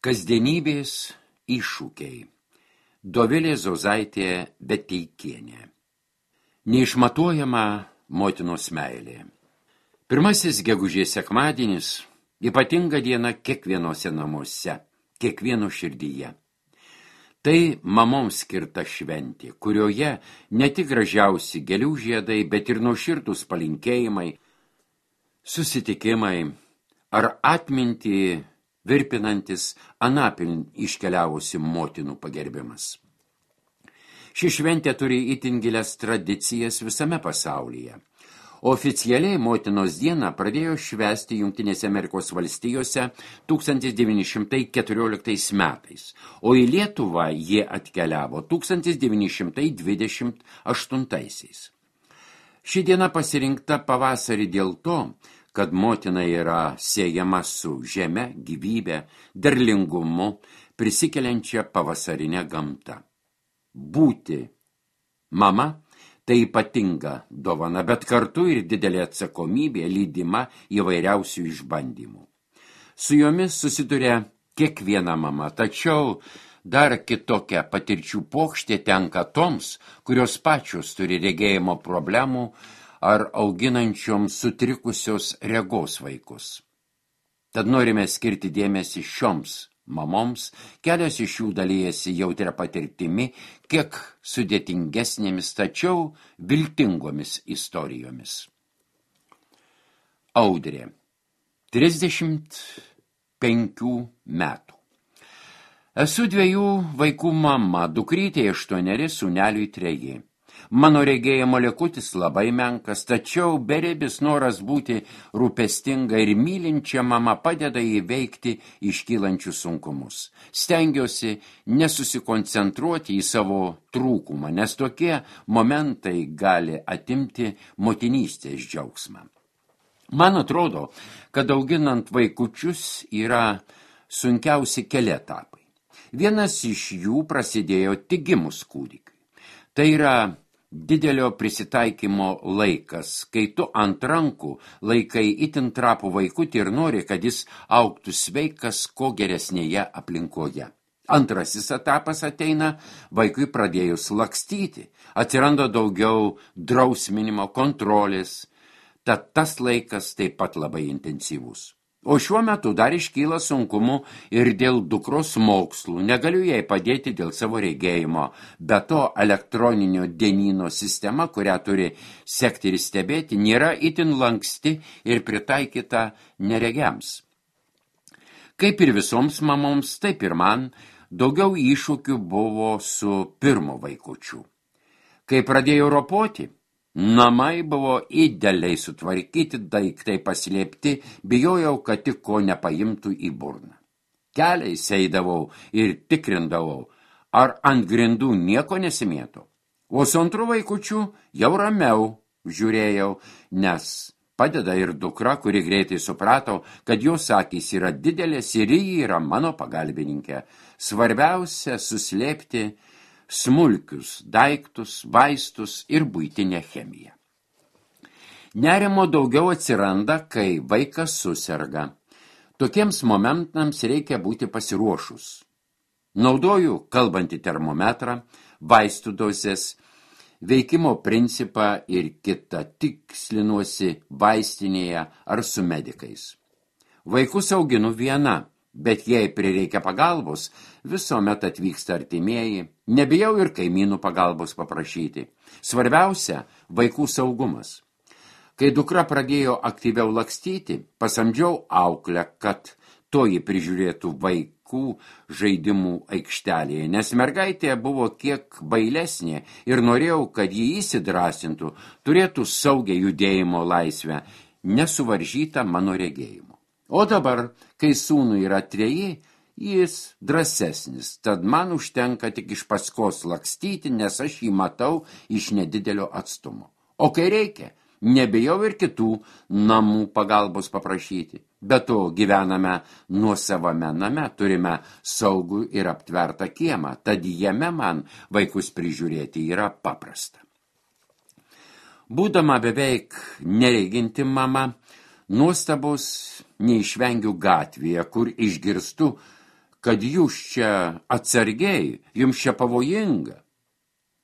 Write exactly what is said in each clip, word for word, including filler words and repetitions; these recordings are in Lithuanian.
Kasdienybės iššūkiai. Dovilė Zozaitė Beteikienė. Neišmatuojama motinos meilė. Pirmasis gegužės sekmadienis – ypatinga diena kiekvienose namuose, kiekvieno širdyje. Tai mamoms skirta šventė, kurioje ne tik gražiausi gėlių žiedai, bet ir nuoširdūs palinkėjimai, susitikimai ar atmintį virpinantis anapilin iškeliavusi motinų pagerbimas. Ši šventė turi itin gilias tradicijas visame pasaulyje. Oficialiai motinos dieną pradėjo švęsti Jungtinėse Amerikos valstijose tūkstantis devyni šimtai keturioliktais metais, o į Lietuvą jie atkeliavo tūkstantis devyni šimtai dvidešimt aštuntaisiais. Ši diena pasirinkta pavasarį dėl to, kad motina yra siejama su žeme, gyvybe, derlingumu, prisikeliančia pavasarinė gamta. Būti mama – tai ypatinga dovana, bet kartu ir didelė atsakomybė lydima įvairiausių išbandymų. Su jomis susiduria kiekviena mama, tačiau dar kitokia patirčių pokštė tenka toms, kurios pačios turi regėjimo problemų ar auginančioms sutrikusios regos vaikus. Tad norime skirti dėmesį šioms mamoms, kelios iš jų dalyjasi jautria patirtimi, kiek sudėtingesnėmis, tačiau viltingomis istorijomis. Audrė, trisdešimt penkių metų. Esu dviejų vaikų mama, dukrytė aštuoneri, sūneliui treji. Mano regėjimo likutis labai menkas, tačiau beribis noras būti rūpestinga ir mylinčia mama padeda įveikti iškylančius sunkumus. Stengiuosi nesusikoncentruoti į savo trūkumą, nes tokie momentai gali atimti motinystės džiaugsmą. Man atrodo, kad auginant vaikučius yra sunkiausi keli etapai. Vienas iš jų prasidėjo tik gimus kūdikiui. Tai yra didelio prisitaikymo laikas, kai tu ant rankų laikai itin trapų vaikutį ir nori, kad jis augtų sveikas ko geresnėje aplinkoje. Antrasis etapas ateina vaikui pradėjus lakstyti, atsiranda daugiau drausminimo, kontrolės, tad tas laikas taip pat labai intensyvus. O šiuo metu dar iškyla sunkumų ir dėl dukros mokslų, negaliu jai padėti dėl savo regėjimo, be to elektroninio dienyno sistema, kurią turi sekti ir stebėti, nėra itin lanksti ir pritaikyta neregiams. Kaip ir visoms mamoms, taip ir man, daugiau iššūkių buvo su pirmu vaikučiu. Kai pradėjau ropoti, namai buvo idealiai sutvarkyti, daiktai paslėpti, bijojau, kad tik ko nepaimtų į burną. Keliais eidavau ir tikrindavau, ar ant grindų nieko nesimėto. O su antru vaikučiu jau ramiau žiūrėjau, nes padeda ir dukra, kuri greitai suprato, kad jos akys yra didelės ir ji yra mano pagalbininkė. Svarbiausia suslėpti smulkius daiktus, vaistus ir buitinę chemiją. Nerimo daugiau atsiranda, kai vaikas suserga. Tokiems momentams reikia būti pasiruošus. Naudoju kalbantį termometrą, vaistų dozes, veikimo principą ir kitą tikslinuosi vaistinėje ar su medikais. Vaikus auginu viena, bet jei prireikia pagalbos, visuomet atvyksta artimieji, nebijau ir kaimynų pagalbos paprašyti. Svarbiausia – vaikų saugumas. Kai dukra pradėjo aktyviau lakstyti, pasamdžiau auklę, kad toji prižiūrėtų vaikų žaidimų aikštelėje, nes mergaitė buvo kiek bailesnė ir norėjau, kad jį įsidrasintų, turėtų saugią judėjimo laisvę, nesuvaržytą mano regėjimo. O dabar, kai sūnui yra treji, jis drąsesnis, tad man užtenka tik iš paskos lakstyti, nes aš jį matau iš nedidelio atstumo. O kai reikia, nebijau ir kitų namų pagalbos paprašyti. Be to gyvename nuosavame name, turime saugų ir aptvertą kiemą, tad jame man vaikus prižiūrėti yra paprasta. Būdama beveik nereginti mama, nuostabos neišvengiu gatvėje, kur išgirstu, kad jūs čia atsargiai, jums čia pavojinga.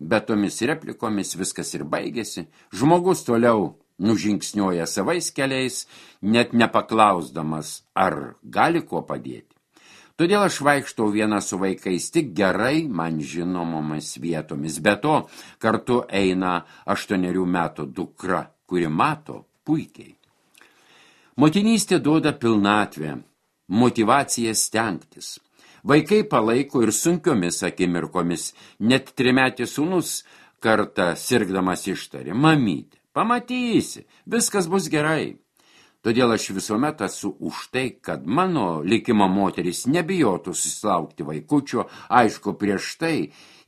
Bet tomis replikomis viskas ir baigėsi. Žmogus toliau nužingsniuoja savais keliais, net nepaklausdamas, ar gali kuo padėti. Todėl aš vaikštau viena su vaikais tik gerai man žinomomis vietomis. Be to, kartu eina aštuonerių metų dukra, kuri mato puikiai. Motinystė duoda pilnatvę, motyvaciją stengtis. Vaikai palaiko ir sunkiomis akimirkomis. Net trimetis sūnus kartą sirgdamas ištarė: mamytė, pamatysi, viskas bus gerai. Todėl aš visuomet esu už tai, kad mano likimo moteris nebijotų susilaukti vaikučio, aišku, prieš tai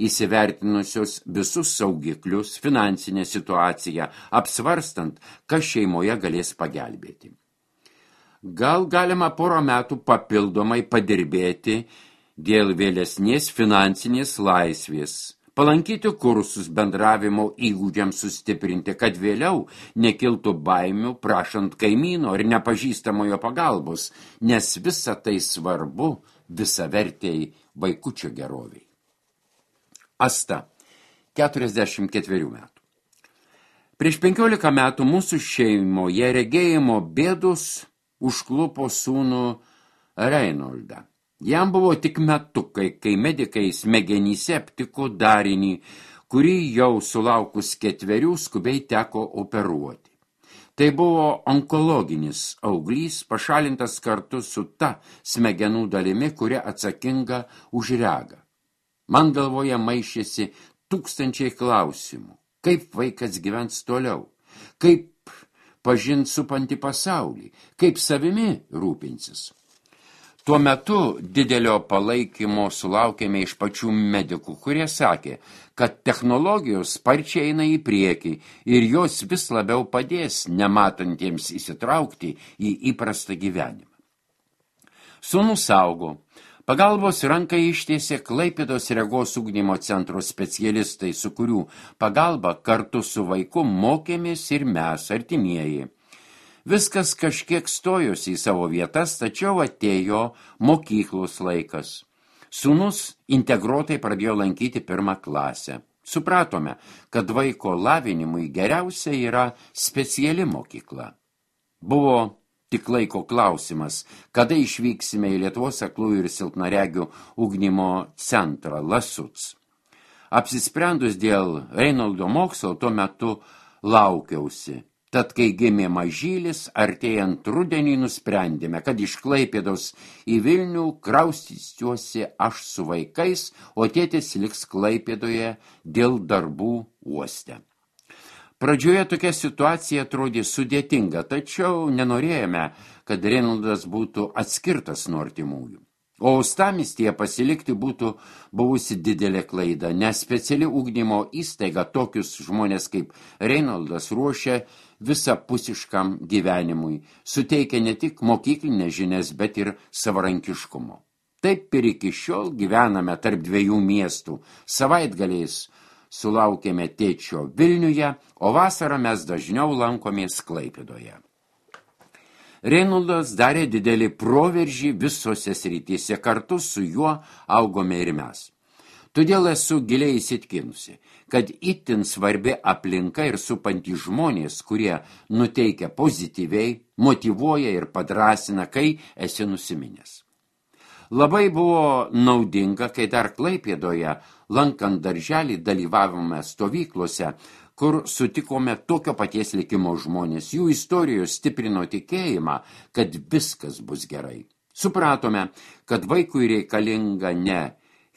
įsivertinusios visus saugiklius, finansinę situaciją, apsvarstant, kas šeimoje galės pagelbėti. Gal galima porą metų papildomai padirbėti dėl vėlesnės finansinės laisvės, palankyti kursus bendravimo įgūdžiams sustiprinti, kad vėliau nekiltų baimių prašant kaimyno ir nepažįstamojo pagalbos, nes visa tai svarbu visavertei vaikučio geroviai. Asta, keturiasdešimt ketverių metų. Prieš penkiolika metų mūsų šeimoje regėjimo bėdos užklupo sūnų Reinoldą. Jam buvo tik metukai, kai medikai smegenyse aptiko darinį, kurį jau sulaukus ketverių skubiai teko operuoti. Tai buvo onkologinis auglys, pašalintas kartu su ta smegenų dalimi, kuri atsakinga už regą. Man galvoje maišėsi tūkstančiai klausimų. Kaip vaikas gyvens toliau? Kaip pažint supantį pasaulį? Kaip savimi rūpinsis? Tuo metu didelio palaikymo sulaukėme iš pačių medikų, kurie sakė, kad technologijos sparčiai eina į priekį ir jos vis labiau padės nematantiems įsitraukti į įprastą gyvenimą. Sūnus augo. Pagalbos ranką ištiesė Klaipėdos regos ugdymo centro specialistai, su kurių pagalba kartu su vaiku mokėmės ir mes, artimieji. Viskas kažkiek stojosi į savo vietas, tačiau atėjo mokyklos laikas. Sūnus integruotai pradėjo lankyti pirmą klasę. Supratome, kad vaiko lavinimui geriausia yra speciali mokykla. Buvo tik laiko klausimas, kada išvyksime į Lietuvos aklųjų ir silpnaregių ugdymo centrą Lasuc. Apsisprendus dėl Reinoldo mokslo, tuo metu laukiausi. Tad, kai gimė mažylis, artėjant rudenį nusprendėme, kad iš Klaipėdos į Vilnių kraustysiuosi aš su vaikais, o tėtis liks Klaipėdoje dėl darbų uoste. Pradžioje tokia situacija atrodė sudėtinga, tačiau nenorėjome, kad Reinoldas būtų atskirtas nuo artimųjų. O uostamiestyje pasilikti būtų buvusi didelė klaida, nes speciali ugdymo įstaiga tokius žmonės kaip Reinoldas ruošia visapusiškam gyvenimui, suteikia ne tik mokyklinės žinias, bet ir savarankiškumo. Taip ir iki šiol gyvename tarp dviejų miestų, savaitgaliais sulaukėme tėčio Vilniuje, o vasarą mes dažniau lankomės Klaipėdoje. Reinoldas darė didelį proveržį visose srityse, kartu su juo augome ir mes. Todėl esu giliai įsitikinusi, kad itin svarbi aplinka ir supantys žmonės, kurie nuteikia pozityviai, motyvuoja ir padrasina, kai esi nusiminęs. Labai buvo naudinga, kai dar Klaipėdoje, lankant darželį, dalyvavome stovyklose, kur sutikome tokio paties likimo žmonės. Jų istorijos stiprino tikėjimą, kad viskas bus gerai. Supratome, kad vaikui reikalinga ne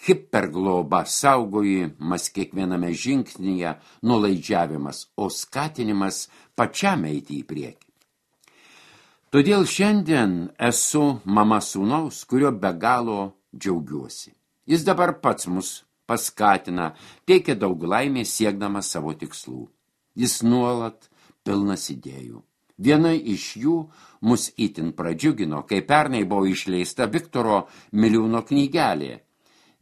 hipergloba, saugojimas kiekviename žingsnyje, nuolaidžiavimas, o skatinimas pačiam eiti į priekį. Todėl šiandien esu mama sūnaus, kurio be galo džiaugiuosi. Jis dabar pats mus paskatina, teikia daug laimės siekdamas savo tikslų. Jis nuolat pilnas idėjų. Viena iš jų mus itin pradžiugino, kai pernai buvo išleista Viktoro Miliūno knygelė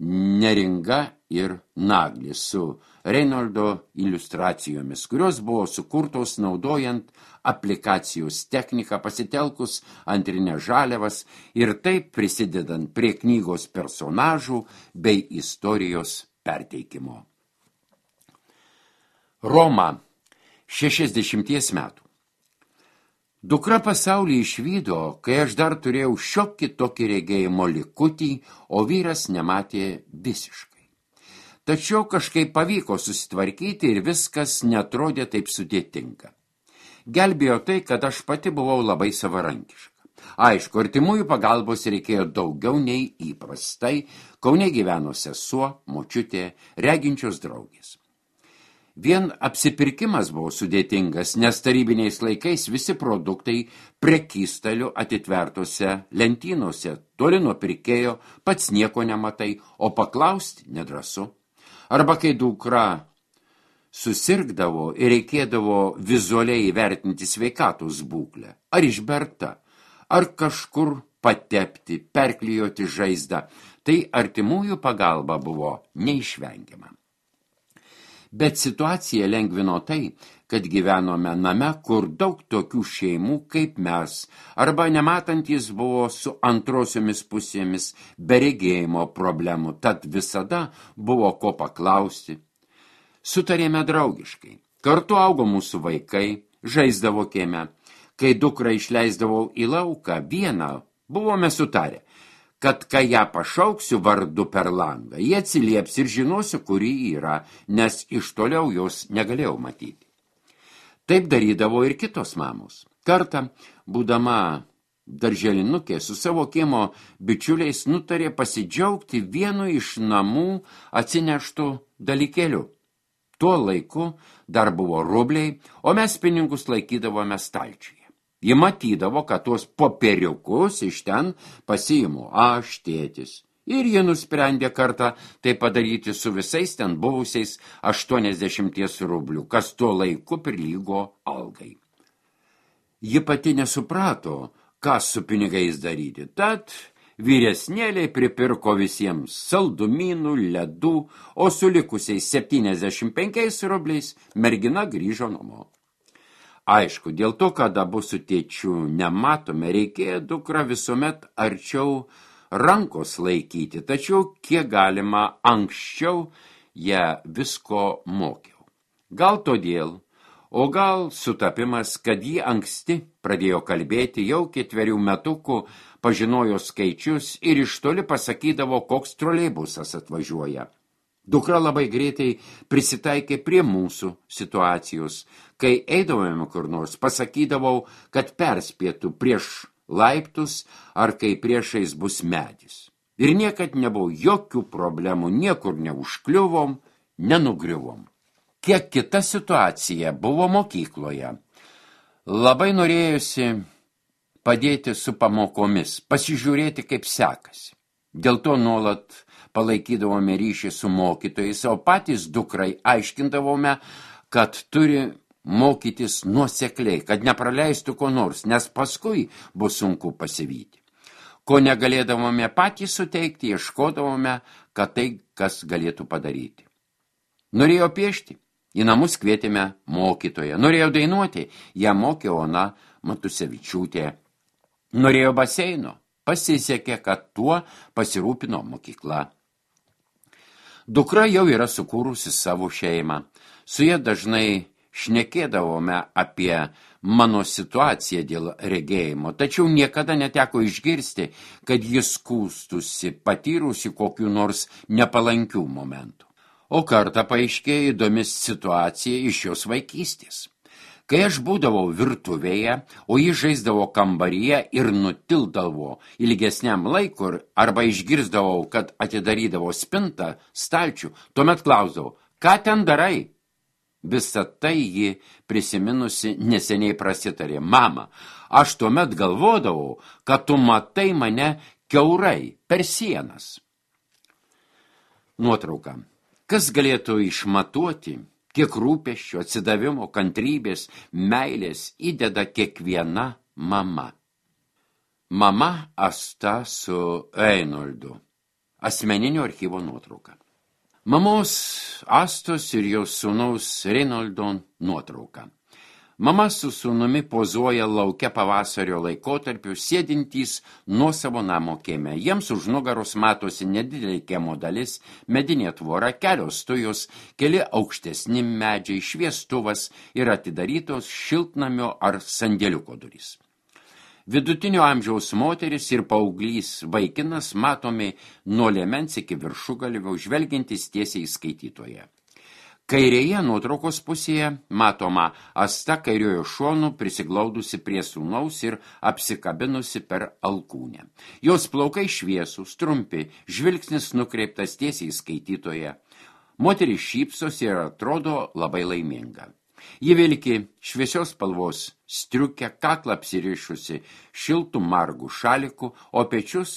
Neringa ir Naglis su Reinoldo iliustracijomis, kurios buvo sukurtos naudojant aplikacijos techniką, pasitelkus antrinės žaliavas ir taip prisidedant prie knygos personažų bei istorijos perteikimo. Roma, šešiasdešimties metų. Dukra pasaulį išvydo, kai aš dar turėjau šiokį tokį regėjimo likutį, o vyras nematė visiškai. Tačiau kažkaip pavyko susitvarkyti ir viskas netrodė taip sudėtinga. Gelbėjo tai, kad aš pati buvau labai savarankiška. Aišku, artimųjų pagalbos reikėjo daugiau nei įprastai, Kaune gyveno sesuo, močiutė, reginčios draugės. Vien apsipirkimas buvo sudėtingas, nes tarybiniais laikais visi produktai prekystalių atitvertose lentynose, toli nuo pirkėjo, pats nieko nematai, o paklausti nedrąsu. Arba kai dukra susirgdavo ir reikėdavo vizualiai įvertinti sveikatos būklę, ar išberta, ar kažkur patepti, perklijuoti žaizdą, tai artimųjų pagalba buvo neišvengiama. Bet situacija lengvino tai, kad gyvenome name, kur daug tokių šeimų kaip mes, arba nematantis buvo su antrosiomis pusėmis be regėjimo problemų, tad visada buvo ko paklausti. Sutarėme draugiškai. Kartu augo mūsų vaikai, žaisdavo kieme. Kai dukrą išleisdavau į lauką vieną, buvome sutarę, kad kai ją pašauksiu vardu per langą, jie atsilieps ir žinosiu, kuri yra, nes iš toliau jos negalėjau matyti. Taip darydavo ir kitos mamos. Kartą, būdama darželinukė, su savo kiemo bičiuliais nutarė pasidžiaugti vienu iš namų atsineštų dalykėlių. Tuo laiku dar buvo rubliai, o mes pinigus laikydavome stalčiuje. Ji matydavo, kad tuos popieriukus iš ten pasiimu aš, tėtis. Ir ji nusprendė kartą tai padaryti su visais ten buvusiais aštuoniasdešimties rublių, kas tuo laiku prilygo algai. Ji pati nesuprato, ką su pinigais daryti, tad vyresnėliai pripirko visiems saldumynų, ledų, o su likusiais septyniasdešimt penkiais rubliais mergina grįžo namo. Aišku, dėl to, kad abu su tėčiu nematome, reikėjo dukrą visuomet arčiau rankos laikyti, tačiau kiek galima anksčiau ją visko mokiau. Gal todėl, o gal sutapimas, kad ji anksti pradėjo kalbėti, jau ketverių metukų pažinojo skaičius ir iš toli pasakydavo, koks troleibusas atvažiuoja. Dukra labai greitai prisitaikė prie mūsų situacijos. Kai eidavome kur nors, pasakydavau, kad perspėtų prieš laiptus ar kai priešais bus medis. Ir niekad nebuvo jokių problemų, niekur neužkliuvom, nenugriuvom. Kiek kita situacija buvo mokykloje. Labai norėjusi padėti su pamokomis, pasižiūrėti, kaip sekasi. Dėl to nuolat palaikydavome ryšį su mokytojais, o patys dukrai aiškindavome, kad turi mokytis nuosekliai, kad nepraleistų ko nors, nes paskui bus sunku pasivyti. Ko negalėdavome patys suteikti, ieškodavome, kad tai kas galėtų padaryti. Norėjo piešti, į namus kvietėme mokytoją. Norėjo dainuoti, ją mokė Ona Matusevičiūtė. Norėjo baseino, pasisekė, kad tuo pasirūpino mokykla. Dukra jau yra sukūrusi savo šeimą. Su ja dažnai šnekėdavome apie mano situaciją dėl regėjimo, tačiau niekada neteko išgirsti, kad jis skųstusi, patyrusi kokių nors nepalankių momentų. O kartą paaiškėjo įdomi situacija iš jos vaikystės. Kai aš būdavau virtuvėje, o ji žaisdavo kambaryje ir nutildavo ilgesniam laikui, arba išgirsdavau, kad atidarydavo spintą, stalčių, tuomet klausdavau, ką ten darai? Visą tai ji prisiminusi neseniai prasitarė, mama, aš tuomet galvodavau, kad tu matai mane kiaurai per sienas. Nuotrauka. Kas galėtų išmatuoti, kiek rūpesčio, atsidavimo, kantrybės, meilės įdeda kiekviena mama. Mama Asta su Reinoldu. Asmeninio archyvo nuotrauka. Mamos Astos ir jos sūnaus Reinoldo nuotrauka. Mama su sūnumi pozuoja lauke pavasario laikotarpiu, sėdintys nuo savo namo kieme. Jiems už nugaros matosi nedidelė kiemo dalis, medinė tvora, kelios tujos, keli aukštesni medžiai, šviestuvas ir atidarytos šiltnamio ar sandėliuko durys. Vidutinio amžiaus moteris ir paauglys vaikinas matomi nuo liemens iki viršugalvio, žvelgiantis tiesiai į skaitytoją. Kairėje nuotraukos pusėje matoma Asta kairiojo šonu prisiglaudusi prie sūnaus ir apsikabinusi per alkūnę. Jos plaukai šviesūs, trumpi, žvilgsnis nukreiptas tiesiai į skaitytoją. Moteris šypsosi ir atrodo labai laiminga. Ji vilki šviesios spalvos striukę, kaklą apsirišusi šiltų margų šalikų, o pečius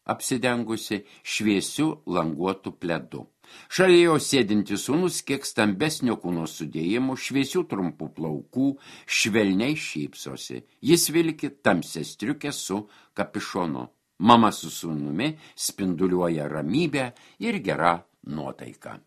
apsidengusi šviesių languotų pledu. Šalia jo sėdintis sūnus kiek stambesnio kūno sudėjimų, šviesių trumpų plaukų, švelniai šypsosi. Jis vilki tamsią striukę su kapišonu. Mama su sūnumi spinduliuoja ramybę ir gera nuotaika.